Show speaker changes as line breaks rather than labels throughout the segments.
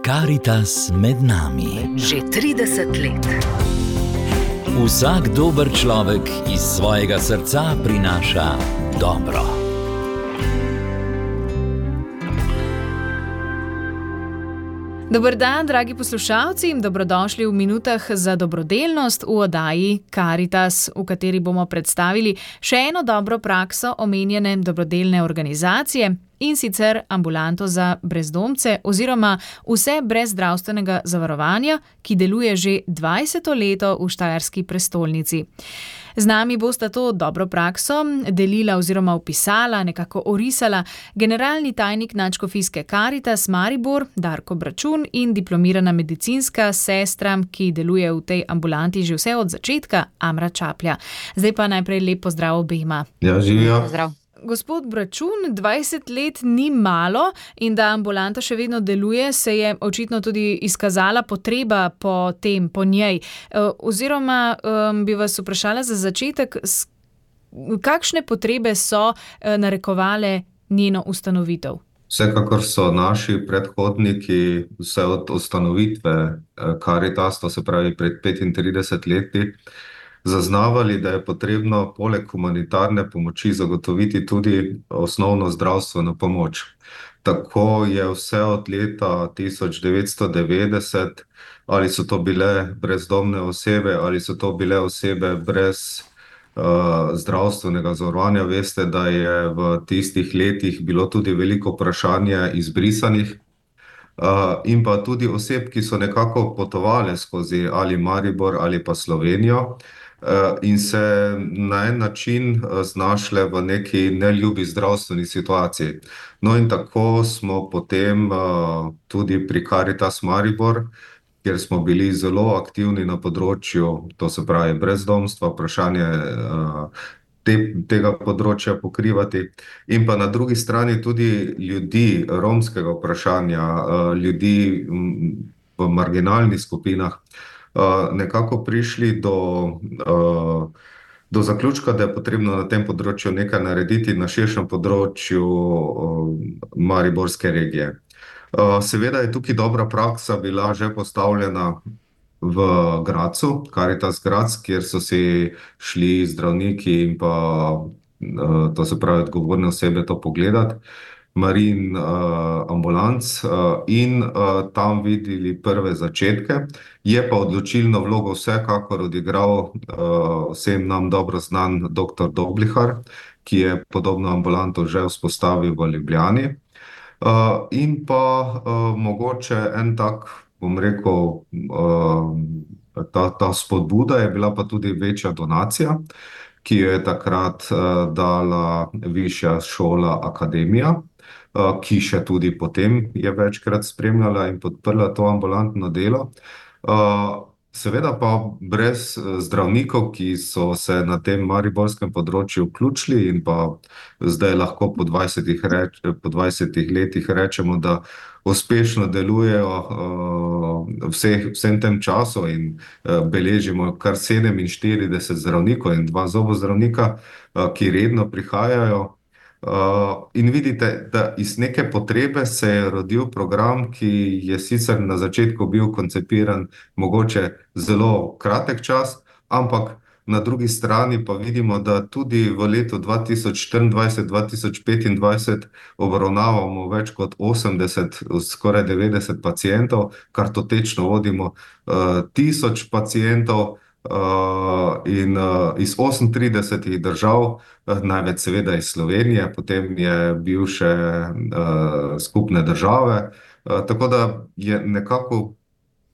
Karitas med nami.
Že 30 let.
Vsak dober človek iz svojega srca prinaša dobro.
Dober dan, dragi poslušalci, in dobrodošli v minutah za dobrodelnost v oddaji Karitas, v kateri bomo predstavili še eno dobro prakso omenjene dobrodelne organizacije, in sicer ambulanto za brezdomce oziroma vse brez zdravstvenega zavarovanja, ki deluje že 20. leto v štajerski prestolnici. Z nami bosta to dobro prakso delila oziroma opisala, nekako orisala generalni tajnik Nadškofijske Karitas Maribor Darko Bračun in diplomirana medicinska sestra, ki deluje v tej ambulanti že vse od začetka, Amra Čaplja. Zdaj pa najprej lep pozdrav obema.
Ja, živijo.
Pozdrav.
Gospod Bračun, 20 let ni malo in da ambulanta še vedno deluje, se je očitno tudi izkazala potreba po tem, po njej. Oziroma bi vas vprašala za začetek, kakšne potrebe so narekovale njeno ustanovitev?
Vsekakor so naši predhodniki vse od ustanovitve Karitas, to se pravi pred 35 leti, zaznavali, da je potrebno poleg humanitarne pomoči zagotoviti tudi osnovno zdravstveno pomoč. Tako je vse od leta 1990, ali so to bile brezdomne osebe, ali so to bile osebe brez zdravstvenega zavarovanja. Veste, da je v tistih letih bilo tudi veliko vprašanje izbrisanih in pa tudi oseb, ki so nekako potovale skozi ali Maribor ali pa Slovenijo, in se na en način znašle v neki neljubi zdravstveni situaciji. No in tako smo potem tudi pri Karitas Maribor, kjer smo bili zelo aktivni na področju, to se pravi brezdomstva, vprašanje tega področja pokrivati, in pa na drugi strani tudi ljudi romskega vprašanja, ljudi v marginalnih skupinah, nekako prišli do zaključka, da je potrebno na tem področju nekaj narediti na širšem področju mariborske regije. Seveda je tukaj dobra praksa bila že postavljena v Gradcu, Karitas Graz, kjer so si šli zdravniki in pa, to se pravi, odgovorne osebe to pogledati, Marijin ambulanc, in tam videli prve začetke. Je pa odločilno vlogo vsekakor odigral vsem nam dobro znan dr. Doblihar, ki je podobno ambulanto že vzpostavil v Ljubljani. In pa mogoče en tak, bom rekel, ta spodbuda je bila pa tudi večja donacija, ki jo je takrat dala Višja šola Akademija, ki še tudi potem je večkrat spremljala in podprla to ambulantno delo. Seveda pa brez zdravnikov, ki so se na tem mariborskem področju vključili in pa zdaj lahko po 20 letih rečemo, da uspešno delujejo vsem tem času in beležimo kar 47 zdravnikov in 2 zobozdravnika, ki redno prihajajo. In vidite, da iz neke potrebe se je rodil program, ki je sicer na začetku bil koncipiran mogoče zelo kratek čas, ampak na drugi strani pa vidimo, da tudi v letu 2024-2025 obravnavamo več kot 80, skoraj 90 pacientov, kar totečno vodimo 1000 pacientov, in iz 38 držav, največ seveda iz Slovenije, potem je bil še skupne države, tako da je nekako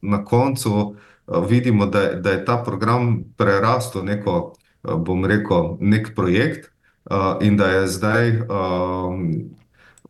na koncu vidimo, da je ta program prerastel neko, bom rekel, nek projekt, in da je zdaj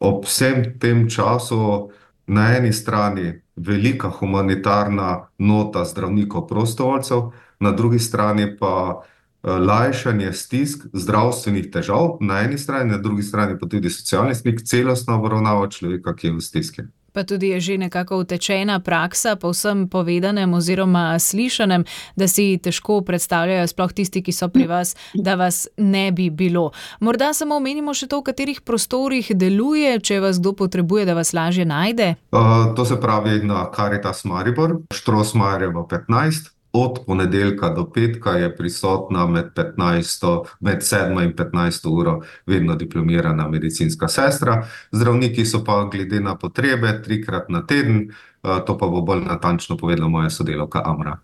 ob vsem tem času na eni strani velika humanitarna nota zdravnikov prostovoljcev, na drugi strani pa lajšanje stisk, zdravstvenih težav na eni strani, na drugi strani pa tudi socialni stik, celostna obravnava človeka, ki je v stiski.
Pa tudi je že nekako utečena praksa po vsem povedanem oziroma slišanem, da si težko predstavljajo, sploh tisti, ki so pri vas, da vas ne bi bilo. Morda samo omenimo še to, v katerih prostorih deluje, če vas kdo potrebuje, da vas lažje najde.
To se pravi na Karitas Maribor, Štrosmajerjevo 15. Od ponedeljka do petka je prisotna med 7. in 15. uro vedno diplomirana medicinska sestra. Zdravniki so pa glede na potrebe 3-krat na teden, to pa bo bolj natančno povedala moja sodelavka Amra.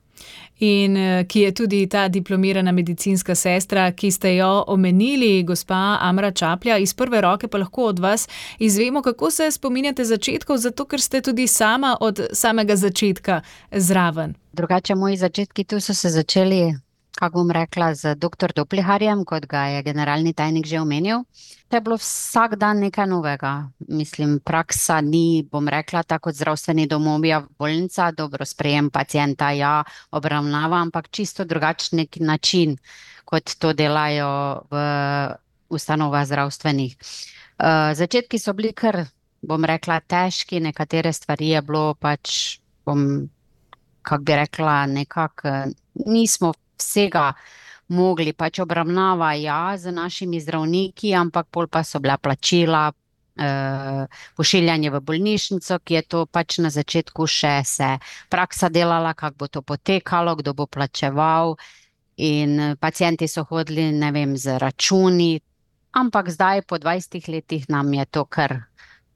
In ki je tudi ta diplomirana medicinska sestra, ki ste jo omenili, gospa Amra Čaplja, iz prve roke pa lahko od vas izvemo, kako se spominjate začetkov, zato ker ste tudi sama od samega začetka zraven.
Drugače, moji začetki tu so se začeli, kako bom rekla, z dr. Dopliharjem, kot ga je generalni tajnik že omenil. To je bilo vsak dan nekaj novega. Mislim, praksa ni, bom rekla, tako kot zdravstveni domovi, bolnica, dobro sprejem pacienta, ja, obravnava, ampak čisto drugačen način, kot to delajo v ustanovah zdravstvenih. Začetki so bili kar, bom rekla, težki, nekatere stvari je bilo pač, kako bi rekla, nekako nismo vsega mogli, pač obravnava, ja, z našimi zdravniki, ampak pol pa so bila plačila, pošiljanje v bolnišnico, ki je to pač na začetku še se praksa delala, kako bo to potekalo, kdo bo plačeval in pacienti so hodili, ne vem, z računi, ampak zdaj po 20 letih nam je to kar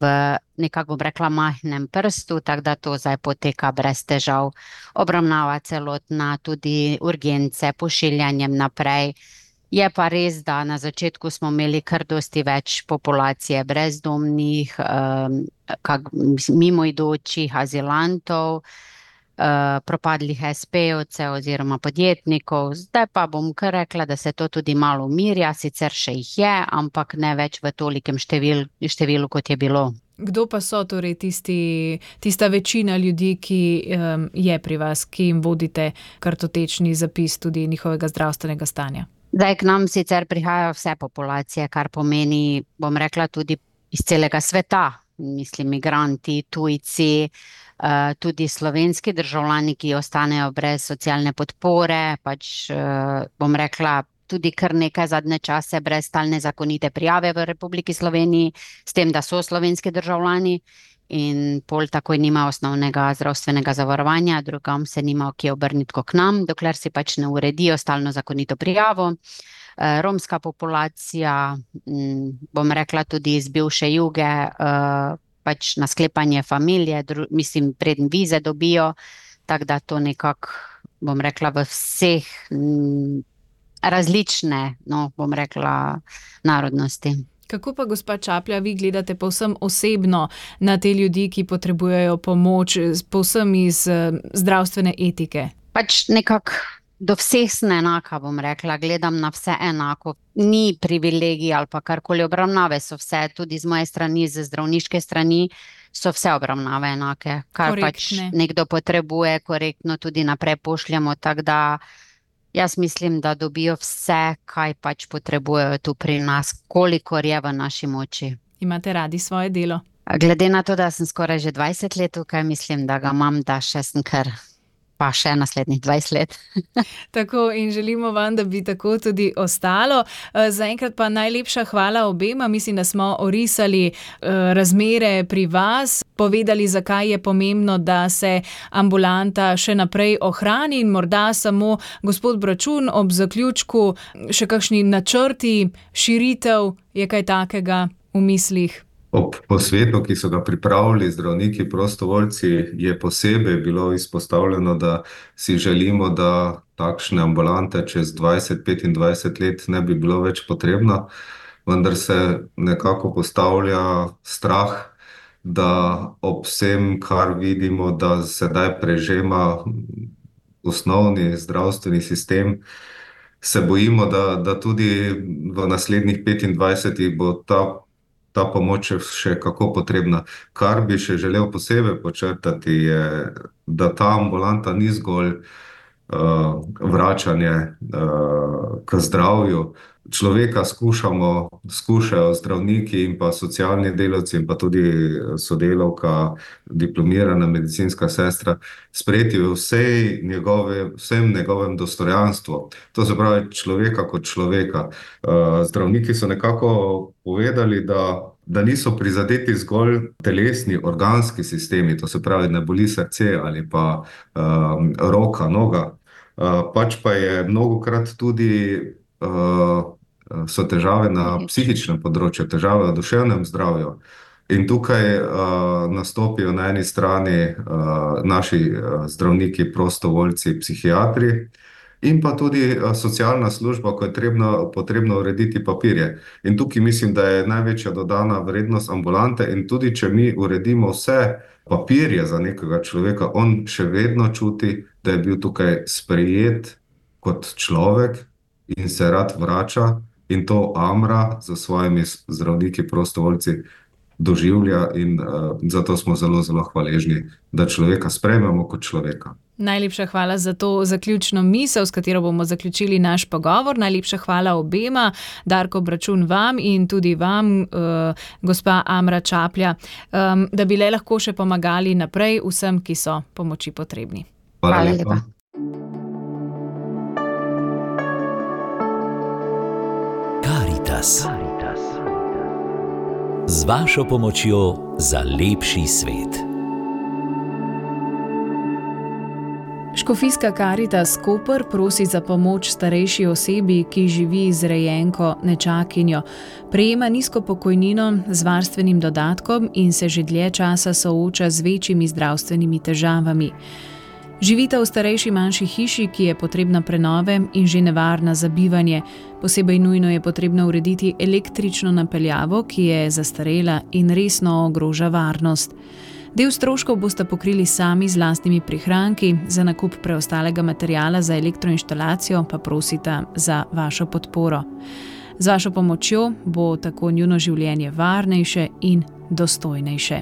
v nekako, bom rekla, majhnem prstu, tako da to zdaj poteka brez težav. Obravnava celotna, tudi urgence, pošiljanjem naprej. Je pa res, da na začetku smo imeli kar dosti več populacije brezdomnih, mimoidočih, azilantov, propadlih SP-ovcev oziroma podjetnikov. Zdaj pa bom kar rekla, da se to tudi malo umirja, sicer še jih je, ampak ne več v tolikem številu, kot je bilo.
Kdo pa so torej tista večina ljudi, ki je pri vas, ki jim vodite kartotečni zapis tudi njihovega zdravstvenega stanja?
Zdaj k nam sicer prihajajo vse populacije, kar pomeni, bom rekla, tudi iz celega sveta. Mislim, migranti, tujci, tudi slovenski državljani, ki ostanejo brez socialne podpore, pač bom rekla, tudi kar nekaj zadnje čase brez stalne zakonite prijave v Republiki Sloveniji, s tem, da so slovenski državljani in pol takoj nima osnovnega zdravstvenega zavarovanja, drugam se nima kje obrniti kot k nam, dokler si pač ne uredijo stalno zakonito prijavo. Romska populacija, bom rekla tudi iz bivše Juge, pač na sklepanje familije, mislim, preden vize dobijo, tako da to nekako, bom rekla, v vseh različne, bom rekla, narodnosti.
Kako pa, gospa Čaplja, vi gledate povsem osebno na te ljudi, ki potrebujejo pomoč, povsem iz zdravstvene etike?
Pač nekako do vseh sem enaka, bom rekla, gledam na vse enako. Ni privilegij ali pa karkoli, obravnave so vse, tudi z moje strani, z zdravniške strani, so vse obravnave enake. Kar korektne. Pač nekdo potrebuje, korektno tudi naprej pošljemo, tako da jaz mislim, da dobijo vse, kaj pač potrebujejo tu pri nas, kolikor je v naši moči.
Imate radi svoje delo?
Glede na to, da sem skoraj že 20 let tukaj, mislim, da ga imam, da še sem kar pa še naslednjih 20 let.
Tako, in želimo vam, da bi tako tudi ostalo. Zaenkrat pa najlepša hvala obema. Mislim, da smo orisali razmere pri vas, povedali, zakaj je pomembno, da se ambulanta še naprej ohrani in morda samo, gospod Bračun, ob zaključku še kakšni načrti, širitev, je kaj takega v mislih?
Ob posvetu, ki so ga pripravili zdravniki prostovoljci, je posebej bilo izpostavljeno, da si želimo, da takšne ambulante čez 20-25 let ne bi bilo več potrebno, vendar se nekako postavlja strah, da ob vsem, kar vidimo, da sedaj prežema osnovni zdravstveni sistem, se bojimo, da tudi v naslednjih 25 bo ta pomoč še kako potrebna. Kar bi še želel posebej počrtati je, da ta ambulanta ni zgolj vračanje k zdravju, človeka skušajo zdravniki in pa socialni delavci in pa tudi sodelavka, diplomirana medicinska sestra, sprejeti v vsem njegovem dostojanstvu. To se pravi človeka kot človeka. Zdravniki so nekako povedali, da niso prizadeti zgolj telesni, organski sistemi, to se pravi, ne boli srce ali pa roka, noga, pač pa je mnogokrat tudi so težave na psihičnem področju, težave v duševnem zdravju. In tukaj nastopijo na eni strani naši zdravniki, prostovoljci, psihiatri in pa tudi socialna služba, ko je potrebno urediti papirje. In tukaj mislim, da je največja dodana vrednost ambulante in tudi, če mi uredimo vse papirje za nekega človeka, on še vedno čuti, da je bil tukaj sprejet kot človek in se rad vrača in to Amra za svojimi zdravniki, prostovoljci doživlja in zato smo zelo, zelo hvaležni, da človeka sprejmemo kot človeka.
Najlepša hvala za to zaključno misel, s katero bomo zaključili naš pogovor. Najlepša hvala obema, Darko Bračun vam in tudi vam, gospa Amra Čaplja, da bi le lahko še pomagali naprej vsem, ki so pomoči potrebni.
Hvala lepa.
Karitas. Z vašo pomočjo za lepši svet.
Škofijska Karitas Koper prosi za pomoč starejši osebi, ki živi z rejenko nečakinjo. Prejema nizko pokojnino z varstvenim dodatkom in se že dlje časa sooča z večjimi zdravstvenimi težavami. Živita v starejši manjši hiši, ki je potrebna prenove in že nevarna za bivanje. Posebej nujno je potrebno urediti električno napeljavo, ki je zastarela in resno ogroža varnost. Del stroškov boste pokrili sami z lastnimi prihranki, za nakup preostalega materiala za elektroinštalacijo pa prosita za vašo podporo. Z vašo pomočjo bo tako njuno življenje varnejše in dostojnejše.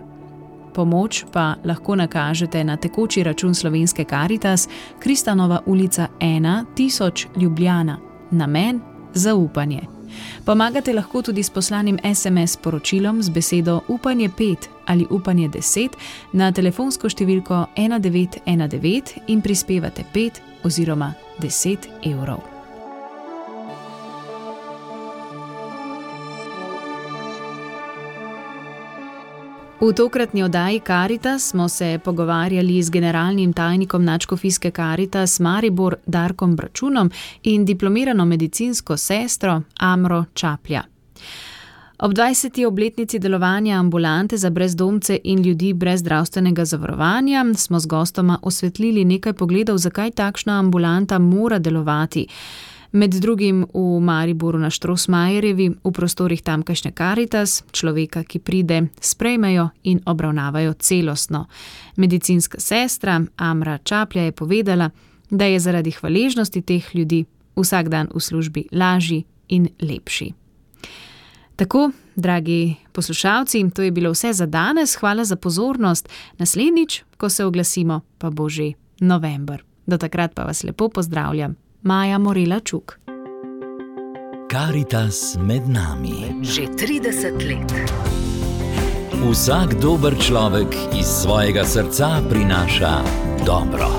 Pomoč pa lahko nakažete na tekoči račun Slovenske Karitas, Kristanova ulica 1, 1000 Ljubljana. Namen: zaupanje. Pomagate lahko tudi s poslanim SMS sporočilom z besedo Upanje 5 ali Upanje 10 na telefonsko številko 1919 in prispevate 5 oziroma 10 evrov. V tokratni oddaji Karitas smo se pogovarjali z generalnim tajnikom Nadškofijske Karitas Maribor Darkom Bračunom in diplomirano medicinsko sestro Amro Čaplja. Ob 20. obletnici delovanja ambulante za brezdomce in ljudi brez zdravstvenega zavarovanja smo z gostoma osvetlili nekaj pogledov, zakaj takšna ambulanta mora delovati. Med drugim v Mariboru na Štrosmajerjevi, v prostorih tamkajšnje Karitas, človeka, ki pride, sprejmejo in obravnavajo celostno. Medicinska sestra Amra Čaplja je povedala, da je zaradi hvaležnosti teh ljudi vsak dan v službi lažji in lepši. Tako, dragi poslušalci, to je bilo vse za danes. Hvala za pozornost. Naslednjič, ko se oglasimo, pa bo že november. Do takrat pa vas lepo pozdravljam. Maja Morela Čuk.
Karitas med nami.
Že 30 let.
Vsak dober človek iz svojega srca prinaša dobro.